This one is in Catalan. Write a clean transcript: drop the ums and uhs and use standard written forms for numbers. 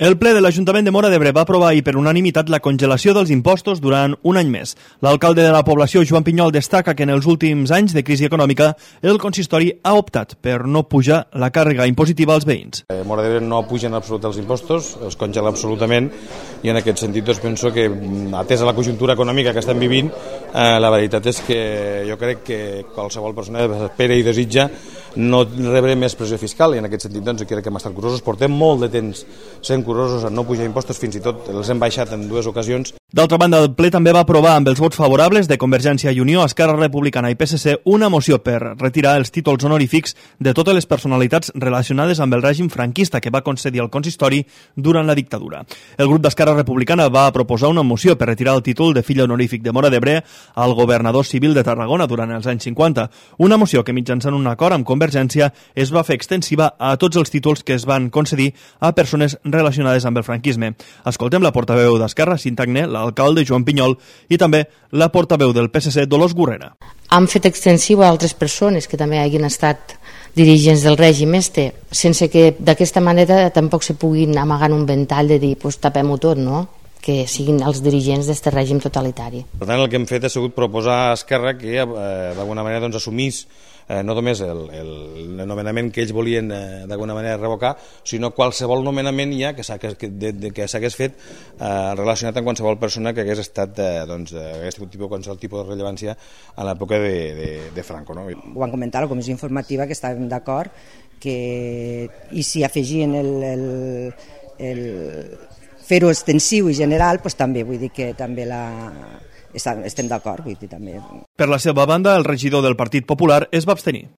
El ple de l'Ajuntament de Móra d'Ebre va aprovar ahir per unanimitat la congelació dels impostos durant un any més. L'alcalde de la població, Joan Pinyol, destaca que en els últims anys de crisi econòmica el consistori ha optat per no pujar la càrrega impositiva als veïns. Móra d'Ebre no puja en absolut els impostos, els congela absolutament, i en aquest sentit penso que, atesa la conjuntura econòmica que estem vivint, la veritat és que jo crec que qualsevol persona espera i desitja no rebre més pressió fiscal, i en aquest sentit jo crec que hem estat curosos. Portem molt de temps sent curosos en no pujar impostos, fins i tot els hem baixat en 2 ocasions. D'altra banda, el ple també va aprovar amb els vots favorables de Convergència i Unió, Esquerra Republicana i PSC una moció per retirar els títols honorífics de totes les personalitats relacionades amb el règim franquista que va concedir el consistori durant la dictadura. El grup d'Esquerra Republicana va proposar una moció per retirar el títol de fill honorífic de Móra d'Ebre al governador civil de Tarragona durant els anys 50. Una moció que mitjançant un acord amb Convergència es va fer extensiva a tots els títols que es van concedir a persones relacionades amb el franquisme. Escoltem la portaveu d'Esquerra, Cinta Agné, l'alcalde Joan Pinyol i també la portaveu del PSC, Dolors Gurrena. Han fet extensiu a altres persones que també hagin estat dirigents del règim sense que d'aquesta manera tampoc se puguin amagar un ventall de dir pues, tapem-ho tot, no? Que siguin els dirigents d'aquest règim totalitari. Per tant, el que hem fet ha sigut proposar a Esquerra que d'alguna manera assumís no només el nomenament que ells volien d'alguna manera revocar, sinó qualsevol nomenament ja que s'hagués fet relacionat amb qualsevol persona que hagués estat hagués tingut qualsevol tipus de rellevància a l'època de Franco. No? Ho van comentar a la comissió informativa, que estàvem d'acord i si afegien el fer-ho extensiu i general, doncs també vull dir que també estem d'acord, vull dir també. Per la seva banda, el regidor del Partit Popular es va abstenir.